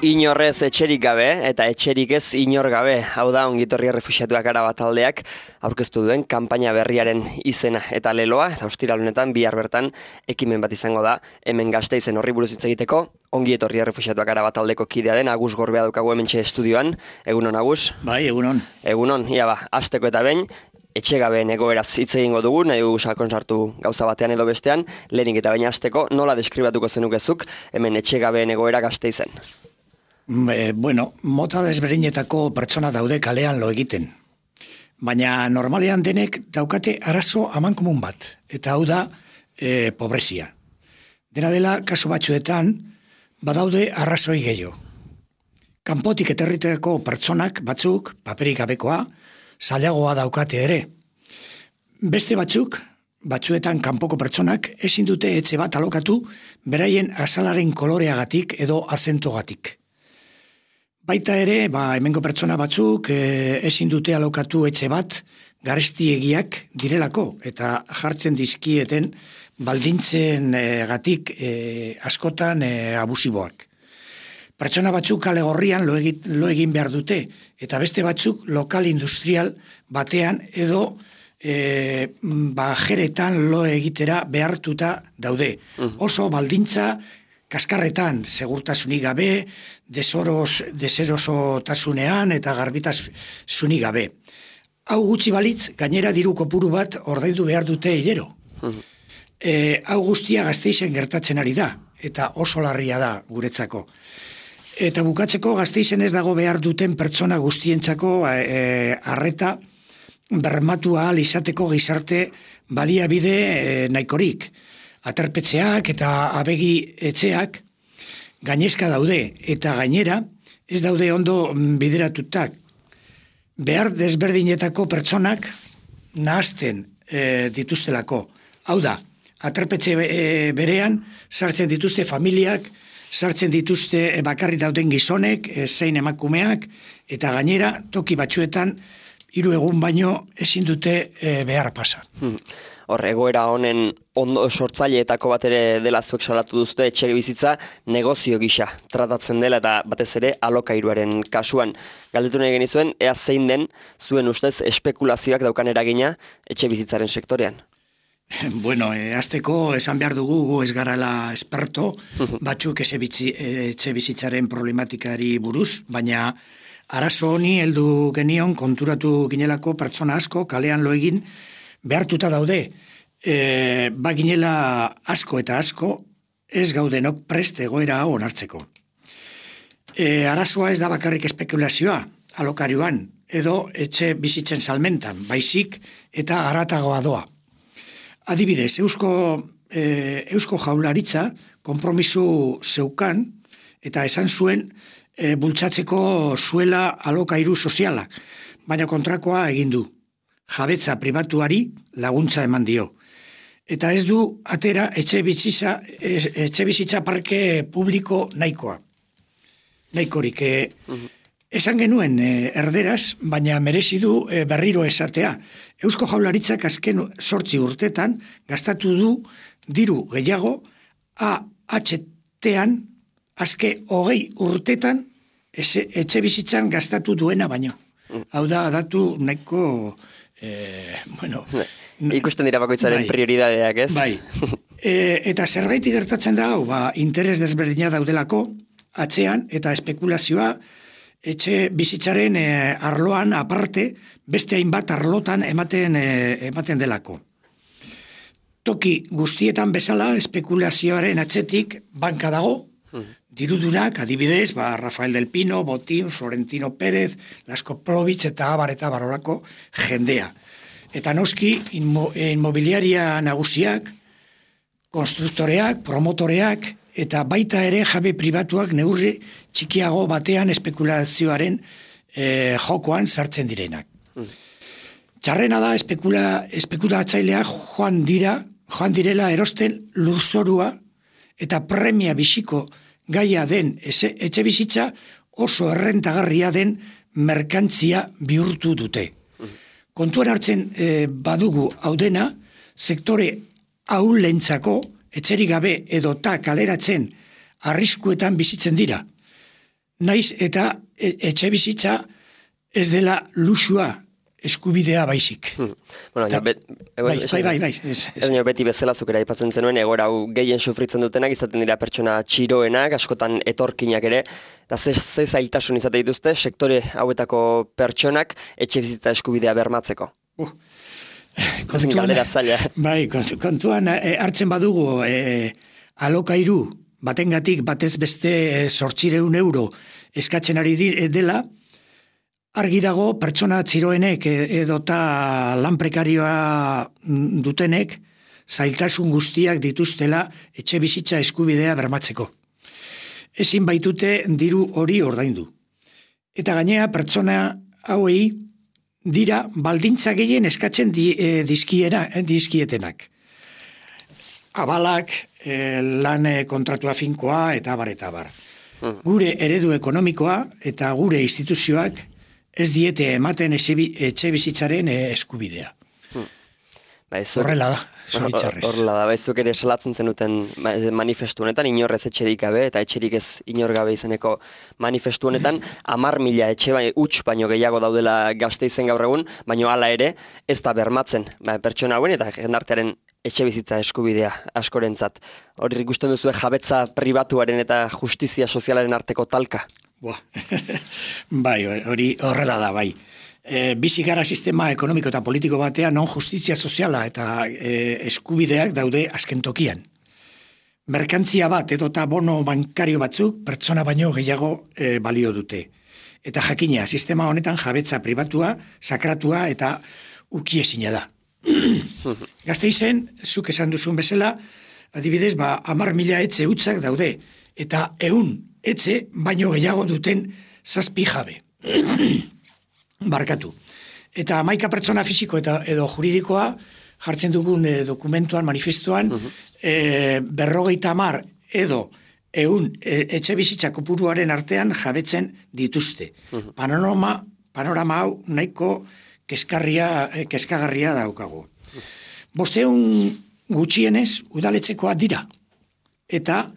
Inorrez etxerik gabe eta etxerik ez inor gabe, hau da ongitorri errefuxiatuak Arabat taldeak aurkeztu duen kanpaina berriaren izena eta leloa, eta ostiral honetan bihar bertan ekimen bat izango da hemen Gasteizen horri buruz hitz egiteko. Ongi etorri errefuxiatuak Arabat taldeko kidea den Agus Gorbea daukagu hementxe estudioan. Egunon, Agus? Bai, egunon. Egunon, ia ba, hasteko eta behin, etxegabeen egoeraz hitz egingo dugu, nahi dugu sakon sartu gauza batean edo bestean, lehenik eta behin hasteko, nola deskribatuko zenukezuk hemen etxegabeen egoera Gasteizen? Bueno, mota desberdinetako pertsona daude kalean lo egiten. Baina normalean denek daukate arazo amankomun bat, eta hau da pobrezia. Dena dela, kasu batzuetan, badaude arrazoi gehiago. Kanpotik etorritako pertsonak batzuk, paperik gabekoa, zailagoa daukate ere. Beste batzuetan kanpoko pertsonak ezin dute etxe bat alokatu beraien azalaren koloreagatik edo azentogatik. Baita ere, hemengo pertsona batzuk ezin dute alokatu etxe bat garestiegiak direlako eta jartzen dizkieten baldintzen gatik askotan abusiboak. Pertsona batzuk kale gorrian lo egin behar dute eta beste batzuk lokal industrial batean edo jeretan lo egitera behartuta daude. Oso baldintza kaskarretan, segurtasunik gabe, deserosotasunean eta garbitasunik gabe. Hau gutxi balitz, gainera diru kopuru bat ordaindu behar dute hilero. Hau guztia Gasteizen gertatzen ari da, eta oso larria da guretzako. Eta bukatzeko Gasteizen ez dago behar duten pertsona guztientzako arreta bermatu ahal izateko gizarte baliabide nahikorik. Aterpetxeak eta abegi etxeak gainezka daude eta gainera ez daude ondo bideratutak. Behar desberdinetako pertsonak nahazten dituztelako. Hau da, aterpetxe berean sartzen dituzte familiak, sartzen dituzte bakarrik dauden gizonek, zein emakumeak, eta gainera toki batzuetan 3 egun baino ezin dute behar pasa. Egoera honen ondo sortzaileetako bat ere dela zuek salatu duzute etxe bizitza negozio gisa tratatzen dela eta batez ere alokairuaren kasuan. Galdetu nahi genizuen, ea zein den zuen ustez espekulazioak daukan eragina etxe bizitzaren sektorean? Bueno, hasteko esan behar dugu gu ez garala esperto, batzuk etxe bizitzaren problematikari buruz, baina arazo honi heldu genion konturatu ginelako pertsona asko kalean lo egin behartuta daude. Baginela asko eta asko ez gaudenok prest egoera hau onartzeko. Arazoa ez da bakarrik espekulazioa alokarioan edo etxe bizitzen salmentan, baizik eta haratagoa doa. Adibidez, Eusko Jaurlaritza konpromisu zeukan eta esan zuen bultzatzeko zuela alokairu sozialak, baina kontrakoa egin du. Jabetza pribatuari laguntza eman dio. Eta ez du atera etxe bizitza parke publiko nahikoa. Nahikorik. Esan genuen erderaz, baina merezi du berriro esatea. Eusko Jaurlaritzak azken 8 urtetan gastatu du diru gehiago AHT-an azke 20 urtetan etxe bizitzan gastatu duena baino. Hau da datu nahiko ikusten dira bakoitzaren prioridadeak, ez? Bai. Eta zergaitik gertatzen da hau, interes desberdina daudelako atzean eta espekulazioa etxe bizitzaren arloan aparte beste hainbat arlotan ematen delako. Toki guztietan bezala espekulazioaren atzetik banka dago, dirudunak, adibidez, Rafael del Pino, Botín, Florentino Pérez, Lasko Plovitz eta abar eta barolako jendea. Eta noski, inmobiliaria nagusiak, konstruktoreak, promotoreak, eta baita ere jabe pribatuak neurri txikiago batean espekulazioaren jokoan sartzen direnak. Txarrena da espekulatzaileak joan direla erosten lurzorua eta premia bisiko gaia den etxe bizitza oso errentagarria den merkantzia bihurtu dute. Kontuan hartzen badugu hau dena, sektore ahulentzako etxerik gabe edota kaleratzen arriskuetan bizitzen dira. naiz eta etxe bizitza ez dela luxua, eskubidea baizik. Bueno, beti bezala zukera aipatzen zenuen, egoera hau gehien sufritzen dutenak izaten dira pertsona txiroenak, askotan etorkinak ere, eta ze zailtasun izate dituzte sektore hauetako pertsonak etxe bizitza eskubidea bermatzeko. Kontuan hartzen badugu alokairu batengatik batez beste 800 euro eskatzen ari dela, argi dago pertsona txiroenek edota lan prekarioa dutenek zailtasun guztiak dituztela etxe bizitza eskubidea bermatzeko. Ezin baitute diru hori ordaindu. Eta gainea pertsona hauei dira baldintza gehien eskatzen dizkietenak. Abalak, lan kontratua finkoa eta abar. Gure eredu ekonomikoa eta gure instituzioak ez diete ematen etxe bizitzaren eskubidea. Horrela da, zoritzarrez. Horrela da, baizuk ere salatzen zenuten manifestu honetan, inorrez etxerik gabe, eta etxerik ez inor gabe izeneko manifestu honetan, 10.000 etxe huts baino gehiago daudela Gasteizen gaur egun, baino hala ere, ez da bermatzen pertsona hauen eta jendartearen etxe bizitza eskubidea askorentzat. Hori ikusten duzu jabetza pribatuaren eta justizia sozialaren arteko talka? Bai, hori horrela da, bai. Bizi gara sistema ekonomiko eta politiko batean non justizia soziala eta eskubideak daude azken tokian. Merkantzia bat edota bono bankario batzuk pertsona baino gehiago balio dute. Eta jakina, sistema honetan jabetza pribatua, sakratua eta ukiezina da. Gasteizen, zuk esan duzun bezala, adibidez, 10.000 etxe hutsak daude, eta 100 etxe baino gehiago duten 7 jabe. Barkatu. Eta 11 pertsona fisiko edo juridikoa jartzen dugun dokumentuan, manifestuan, 50 edo 100 etxe bizitza kopuruaren artean jabetzen dituzte. Panorama hau nahiko kezkagarria daukagu. 500 gutxienez udaletxekoa dira. Eta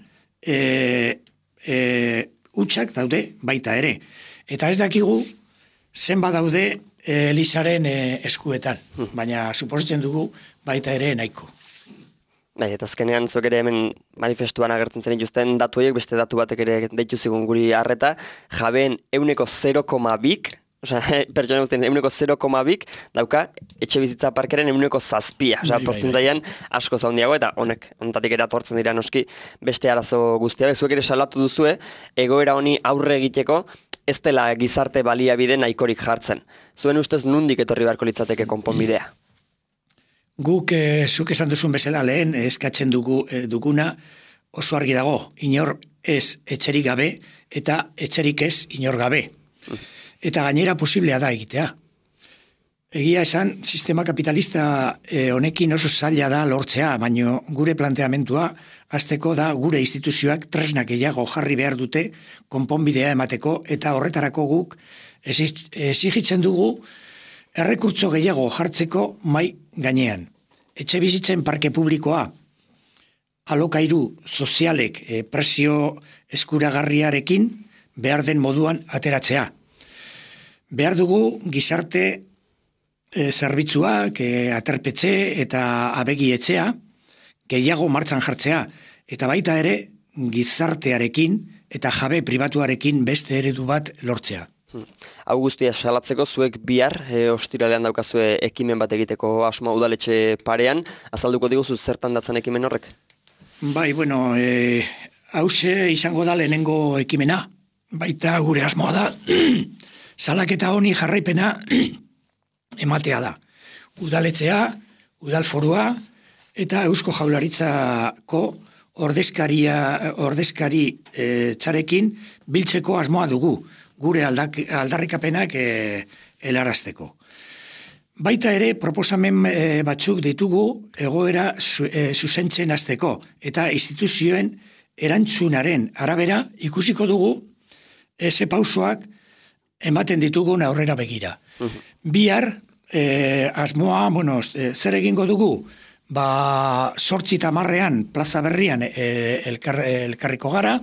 hutsak daude baita ere. Eta ez dakigu zenbat daude Elizaren eskuetan, baina suposatzen dugu baita ere nahiko. Bai, eta azkenean zuek ere hemen manifestuan agertzen zen dituzten datu horiek, beste datu batek ere deitu zigun guri harreta, jabeen 0,2, pertsona guztien 0,2 dauka etxe bizitza parkeren 7%, portzentaian asko zaundiago, eta honetatik ere atortzen dira noski beste arazo guztia. Zuek ere salatu duzue, egoera honi aurre egiteko ez dela gizarte baliabide nahikorik jartzen. Zuen ustez nundik etorri beharko litzateke konponbidea? Guk, zuk esan duzun bezala lehen, eskatzen duguna oso argi dago, inor ez etxerik gabe eta etxerik ez inor gabe. Eta gainera posiblea da egitea. Egia esan, sistema kapitalista honekin oso zaila da lortzea, baino gure planteamentua hasteko da gure instituzioak tresnak gehiago jarri behar dute konponbidea emateko, eta horretarako guk exigitzen dugu errekurtso gehiago jartzeko mai gainean. Etxe bizitzen parke publikoa, alokairu sozialek presio eskuragarriarekin behar den moduan ateratzea. Behar dugu gizarte zerbitzuak, aterpetxe eta abegi etxea gehiago martxan jartzea, eta baita ere gizartearekin eta jabe pribatuarekin beste eredu bat lortzea. Hau guztia salatzeko zuek bihar ostiralean daukazue ekimen bat egiteko asmoa udaletxe parean, azalduko diguzu zertan datzen ekimen horrek? Bai, bueno, hause izango da lehenengo ekimena, baita gure asmoa da, salaketa honi jarraipena ematea da. Udaletxea, udalforua eta Eusko Jaurlaritzako ordezkari txarekin biltzeko asmoa dugu, gure aldarrikapenak helarazteko. Baita ere, proposamen batzuk ditugu egoera zuzentzen hasteko, eta instituzioen erantzunaren arabera ikusiko dugu ze pausoak ematen ditugun aurrera begira. Bihar, asmoa, zer egingo dugu? 8:10 plaza berrian elkarriko gara,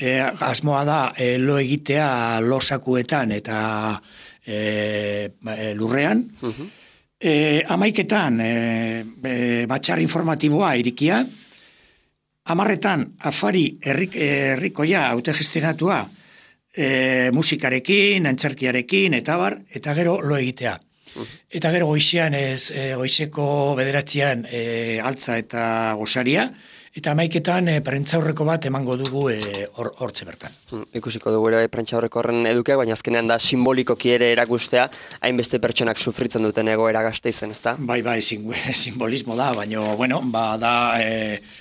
asmoa da lo egitea losakuetan eta lurrean. Amaiketan batxar informatiboa irikia, 10etan afari herrikoia autogestionatua musikarekin, antzerkiarekin, eta gero lo egitea. Eta gero goizeko 9 altza eta gosaria, eta 11etan prentzaurreko bat emango dugu hortze bertan. Ikusiko dugu ere prentzaurreko horren edukeak, baina azkenean da simbolikoki ere erakustea, hainbeste pertsonak sufritzen duten egoera Gasteizen, ezta? Bai, simbolismo da, baina, da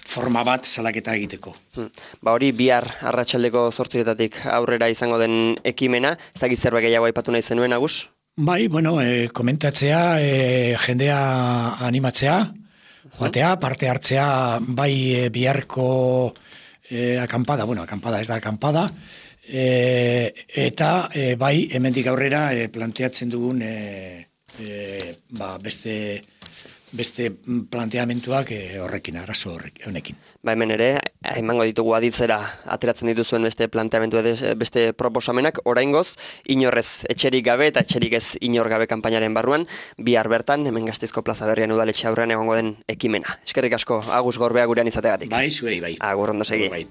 forma bat salaketa egiteko. Hori bihar arratsaldeko 8 aurrera izango den ekimena, ez dakit zerbait gehiago aipatu nahi zenuen, Agus? Bai, komentatzea, jendea animatzea, joatea, parte hartzea, bai biharko akampada, akampada ez da akampada, eta bai hemendik aurrera planteatzen dugun beste planteamentuak horrekin, arazo honekin. Hemen ere, emango ditugu aditzera ateratzen dituzuen beste planteamentu beste proposamenak, oraingoz, inorrez etxerik gabe eta etxerik ez inor gabe kanpainaren barruan, bihar bertan, hemen Gasteizko plaza berrian udaletxe aurrean egongo den ekimena. Eskerrik asko, Agus Gorbea gurean izategatik. Bai, zuei, bai. Agur, ondo segi. Bai.